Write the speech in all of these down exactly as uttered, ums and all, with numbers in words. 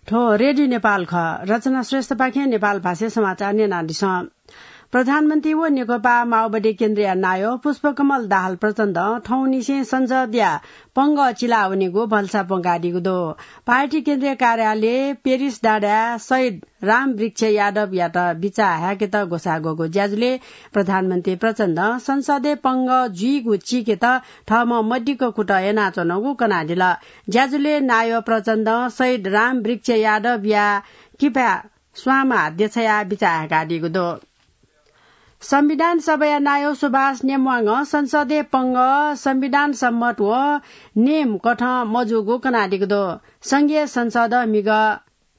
थ्व रेडियो नेपाल खः। रचना श्रेष्ठपाखें नेपाल भाषाय् समाचार न्यनादिसँ। प्रधानमन्त्री व नेकपा माओवादी केन्द्रया नायः पुष्पकमल दाहाल प्रचण्डं थौंनिसें संसदया पंगः चिलावनीगु भलसा प्वंकादीगु दु। पार्टी केन्द्रीय कार्यालय पेरिस डाँडाय् शहीद रामवृक्ष यादवयात बिचाः हाय्केत ग्वसाः ग्वःगु ज्याझ्वलय् प्रधानमन्त्री प्रचण्डं संसदय् पंगः जुइगु चीकेत थःम्हं मदिक्क कुतः यानाच्वनागु कनादिल। ज्याझ्वलय् नायः प्रचण्डं शहीद रामवृक्ष यादवया किपाय् स्वांमाः देछायाः बिचाः हाय्कादीगु दु। संविधान सभाया नायः सुभाष नेम्वाङं संसदय् पंगः संविधान सम्मत व नेम कथं मजूगु कनादीगु दु। संघीय संसदं म्हिगः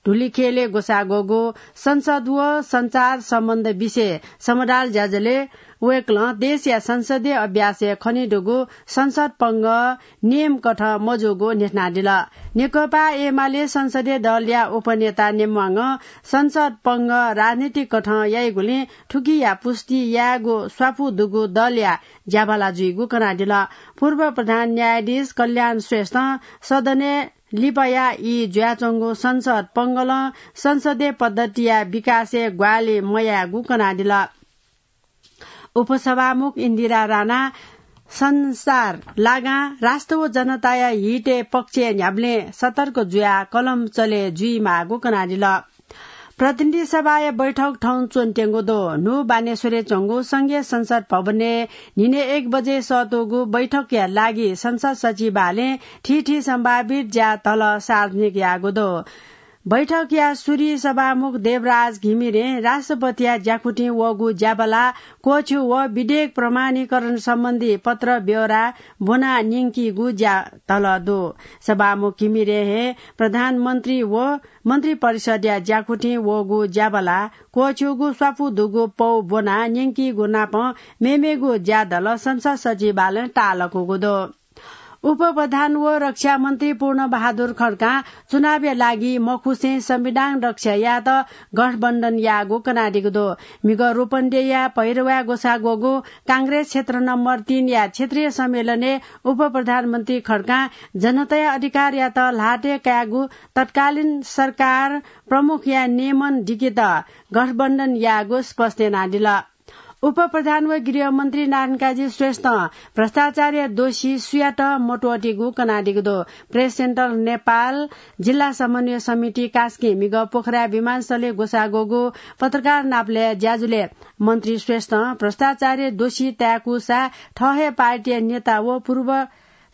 धुलिखेलय् ग्वसाः ग्वःगु संसद व संचार सम्बन्ध विषय समदाल ज्याझ्वलय् वय्कलं देशया संसदीय अभ्यासय् खनेदुगु संसद पंगः नेम कथं मजूगु न्ह्यथनादिल। नेकपा एमाले संसदीय दलया उपनेता नेम्वाङं संसद पंगः राजनीतिक कथं याइगुलिं थुकिया पुष्टि यायेगु स्वापू दुगु दलया ज्याबाला जुइगु कनादिल। पूर्व प्रधान न्यायाधीश कल्याण श्रेष्ठं सदनय् लिपाया ई जुयाच्वंगु संसद पंगलं संसदीय पद्धतिया विकासय् ग्वाहालि मयायेगु कनादिल। उपसभामुख इन्दिरा राणा संसार लागां राष्ट्र व जनताया हितय् पक्षय् न्ह्याबलें सतर्क जुयाः कलम चले जुइमाःगु कनादिल। प्रतिनिधि सभाया बैठक थौं च्वनेत्यंगु दु। न्हू बानेश्वरय् च्वंगु संघीय संसद भवनय् न्हिनय् एक बजे सःतूगु बैठकया लागि संसद सचिवालयं थीथी सम्भावित ज्याधल सार्वजनिक याःगु दु। बैठकया सुरुइ सभामुख देवराज घिमिरें राष्ट्रपतिया ज्याकुथिं वःगु ज्याबाला क्वःछ्यू व विधेयक प्रमाणीकरण सम्बन्धी पत्र ब्यौरा ब्वना न्यंकीगु ज्याधल दु। सभामुख घिमिरें हे प्रधानमन्त्री व मन्त्रिपरिषदया ज्याकुथिं वःगु ज्याबाला क्वःछ्यूगु स्वापू दुगु पौ ब्वना न्यंकीगु नापं मेमेगु ज्याधल संसद सचिवालयं ताःलाकूगु दु। उपप्रधान व रक्षा मन्त्री पूर्ण बहादुर खड्कां चुनावया लागि मखुसें संविधान रक्षा यायेत गठबन्धन याःगु कनादीगु दु। म्हिगः रूपन्देहीया भैरवाय् ग्वसाः ग्वःगु कांग्रेस क्षेत्र नम्बर तीनया क्षेत्रीय सम्मेलनय् उपप्रधानमन्त्री खड्कां जनताया अधिकारयात ल्हातय् कायेगु तत्कालीन सरकार प्रमुखया नियमन दिकेत गठबन्धन याःगु स्पष्ट यानादिल। उपप्रधान व गृहमन्त्री नारायणकाजी श्रेष्ठं भ्रष्टाचारया दोषी सुयातं मत्वःतेगु कनादीगु दु। प्रेस सेन्टर नेपाल जिल्ला समन्वय समिति कास्कीं म्हिगः पोखरा विमानस्थलय् ग्वसाः ग्वःगु पत्रकार नापलाये ज्याझ्वलय् मन्त्री श्रेष्ठं भ्रष्टाचारया दोषी ताय्कूसा थः हे पार्टीया नेता व पूर्व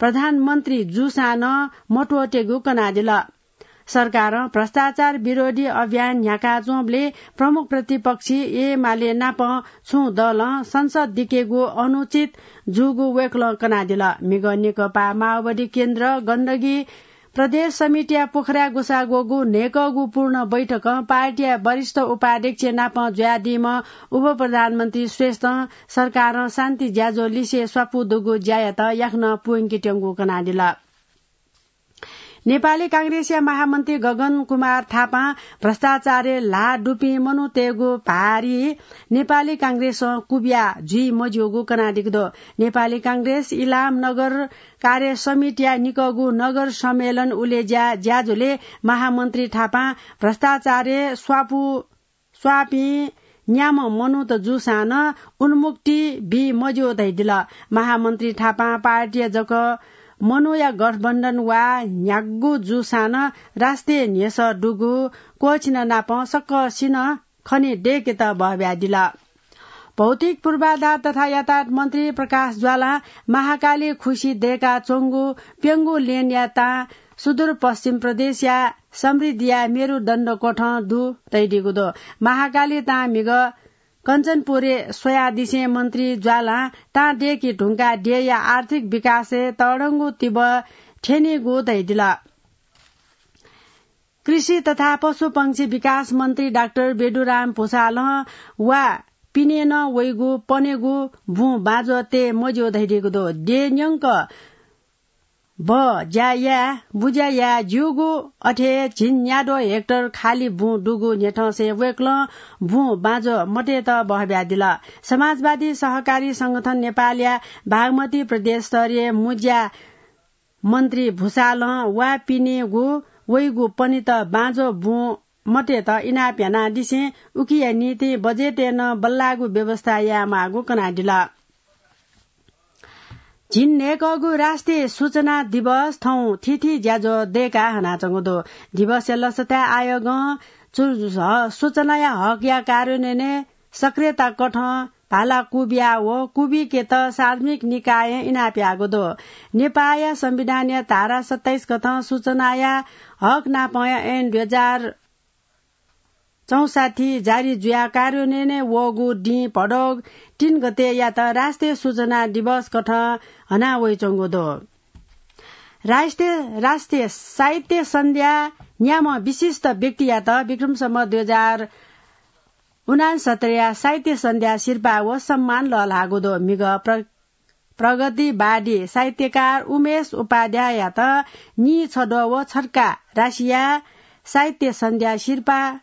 प्रधानमन्त्री जूसां नं मत्वःतेगु कनादिल। सरकारं भ्रष्टाचार विरोधी अभियान न्ह्याकाच्वंबलय् प्रमुख प्रतिपक्षी एमाले नाप छुं दलं संसद दिकेगु अनुचित जूगु वय्कलं कनादिल। म्हिगः नेकपा माओवादी केन्द्र गण्डकी प्रदेश समितिया पोखराय् ग्वसाः ग्वःगु न्हय्कःगु पूर्ण बैठकं पार्टीया वरिष्ठ उपाध्यक्ष नाप जुयादीम्ह उपप्रधानमन्त्री श्रेष्ठं सरकारं शान्ति ज्याझ्वः लिसे स्वापू दुगु ज्यायात याकनं प्वंकेत्यंगु कनादिल। नेपाली कांग्रेसया महामन्त्री गगन कुमार थापां भ्रष्टाचारय् ल्हाः दुपिं मनूतय्गु भारी नेपाली कांग्रेसं कुबिया जुइ मज्यूगु कनादीगु दु। नेपाली कांग्रेस इलाम नगर कार्य समितिया निकःगु नगर सम्मेलन उलेज्या ज्याझ्वलय् महामन्त्री थापां भ्रष्टाचारय् स्वापू स्वाःपिं न्याम्ह मनूत जूसां नं उन्मुक्ति बी मज्यू धयादिल। महामन्त्री थापां पार्टीया जक मनूया गठबन्धन वा न्ह्यागु जूसां नं राष्ट्रिय न्ह्यसः दुगु क्वःछिन नाप सकसिनं खने दय्केत बहब्यादिल। भौतिक पूर्वाधार तथा यातायात मन्त्री प्रकाश ज्वालां महाकाली खुसी दय्काच्वंगु प्यंगू लेनया तां सुदूरपश्चिम प्रदेशया समृद्धिया मेरुदण्ड क्वथं दु धयादीगु दु। महाकाली तां म्हिगः कञ्चनपुरय् स्वयादिसें मन्त्री ज्वालां तां दय्के धुंकाः देय्या आर्थिक विकासय् तःधंगु तिबः थ्यनीगु धयादिल। कृषि तथा पशुपंक्षी विकास मन्त्री डाक्टर बेदुराम भुसालं वा पिने नं वइगु पनेगु बुँ बाँज्वः तये मज्यू धयादीगु दु। देय् न्यंक बः ज्या याये, बुज्या याये ज्यूगु अथे हे झिंन्याद्वः हेक्टर खाली बुँ दुगु न्ह्यथंसे वय्कलं बुँ बाँज्वः मतयेत बहब्यादिल। समाजवादी सहकारी संगठन नेपालया बागमती प्रदेश स्तरीय मुज्या मन्त्री भुसालं वा पिनेगु वइगु पनित बाँझो बुँ मतय्त इनाप यानादिसें उकिया निंतिं बजेटय् नं बल्लाःगु व्यवस्था यायेमाःगु कनादिल। झिंन्हय्‌कःगु राष्ट्रिय सूचना दिवस थौं थीथी ज्याझ्वः दय्‌काः हनाच्वंगु दु। दिवसया लसताय् आयोगं चु-, ह-, सूचनाया हकया कार्यान्वयनय् सक्रियता कथं भाला क्वबिया व क्वबिकेत सार्वजनिक निकायं इनाप याःगु दु। नेपाःया संविधानया धारा सत्ताइस कथं सूचनाया हक नापंया ऐन दुई हजार चौसट्ठी जारी जुयाः कार्यान्वयनय् वःगु दिं भदौ तीन गते यात राष्ट्रिय सूचना दिवस कथं हना वइच्वंगु दु। राष्ट्रिय, राष्ट्रिय साहित्य सन्ध्या न्याम्ह विशिष्ट व्यक्तियात विक्रम सम्वत दुई हजार उनान्सत्तरीया साहित्य सन्ध्या सिरपाः व सम्मान लःल्हाःगु दु। म्हिगः प्र-, प्रगतिवादी साहित्यकार उमेश उपाध्याययात नीछद्वः व छड्का राशिया साहित्य सन्ध्या सिरपाः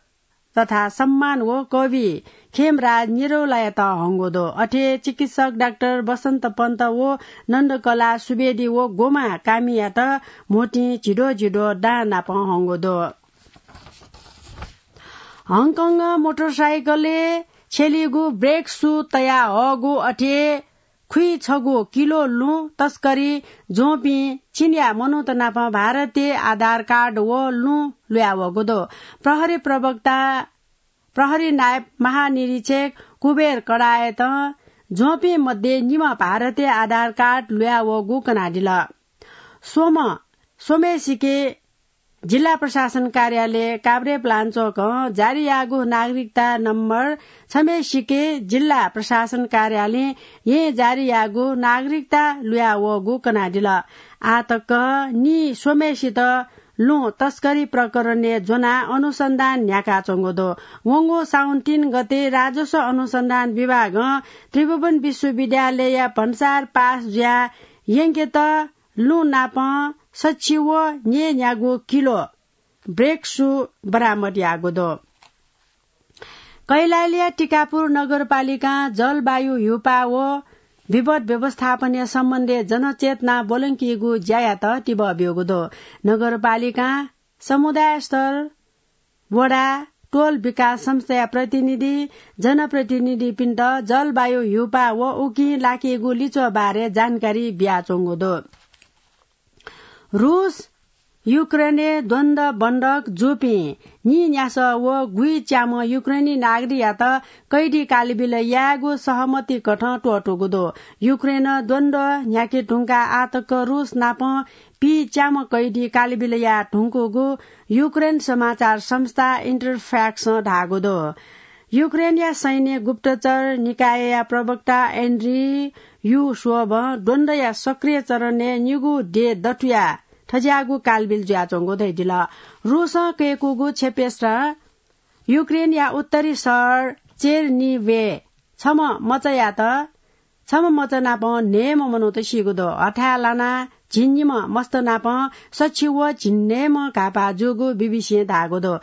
तथा सम्मान व कवि खेमराज निरौलायात हंगु दु। अथे चिकित्सक डाक्टर बसन्त पन्त व नन्दकला सुवेदी व गोमा कामियात म्होतिं झिद्वः झिद्वः दां नाप हंगु दु। हङकङं मोटरसाइकलय् छ्यलीगु ब्रेक सू तयाहःगु अथे खुइछगू किलो लुँ तस्करी ज्वंपिं चीनया मनूत नाप भारतीय आधार कार्ड व लुँ लुयावःगु दु। प्रहरी प्रवक्ता, प्रहरी नायब महानिरीक्षक कुबेर कडायतं ज्वंपिं मध्ये निम्ह भारतीय आधार कार्ड लुयावःगु कनादिल। स्वम्ह, स्वम्हेसिके जिल्ला प्रशासन कार्यालय काभ्रेपलाञ्चोकं जारी याःगु नागरिकता नम्बर छम्हेसिके जिल्ला प्रशासन कार्यालयं येँ जारी याःगु नागरिकता लुयावःगु कनादिल। आः तक नीस्वम्हेसित लुँ तस्करी प्रकरणय् ज्वनाः अनुसन्धान न्ह्याकाच्वंगु दु। वंगु साउन तीन गते राजस्व अनुसन्धान विभागं त्रिभुवन विश्वविद्यालयया भन्सार पास जुयाः यंकेत लुँ नाप सछि व न्यय्‌न्यागू किलो ब्रेक सू बरामद याःगु दु। कैलालीया टिकापुर नगरपालिकां जलवायु ह्यूपाः व विपद व्यवस्थापनया सम्बन्धय् जनचेतना ब्वलंकीगु ज्यायात तिबः ब्यूगु दु। नगरपालिकां समुदाय स्तर, वडा, टोल विकास संस्थाया प्रतिनिधि, जनप्रतिनिधिपिन्त जलवायु ह्यूपाः व उकिं लाकीगु लिच्वः बारे जानकारी बियाच्वंगु दु। रूस युक्रेनय् द्वन्द्व बन्धक जूपिं नीन्यासः व गुइच्याम्ह युक्रेनी नागरिकयात कैदी कालबिल यायेगु सहमति कथं त्वःतूगु दु। युक्रेनं द्वन्द्व न्ह्याके धुंकाः आः तक रूस नाप पीच्याम्ह कैदी कालबिल याये धुंकूगु युक्रेन समाचार संस्था इन्टरफ्याक्सं धाःगु दु। युक्रेनया सैन्य गुप्तचर निकायया प्रवक्ता एन्ड्री यु स्वबं द्वन्द्वया सक्रिय चरणय् निगू देय् दथुयाः थज्याःगु कालबिल जुयाच्वंगु धयादिल। रूसं कय्कूगु क्षेपेस्त्र युक्रेनया उत्तरी शहर चेर्निभे छम्ह मचायात छम्ह मचा नाप न्हय्म्ह मनूत सीगु दु। हथाय् लानाः झिंनिम्ह मस्त नाप सछि व झिंन्हय्म्ह घाःपाः जूगु बीबीसीं धाःगु दु।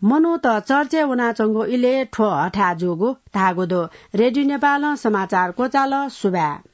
मनूत चर्चय् वनाच्वंगु इलय् थ्व हथाय् जूगु धाःगु दु। रेडियो नेपालं समाचार क्वचाल। सुभाय्।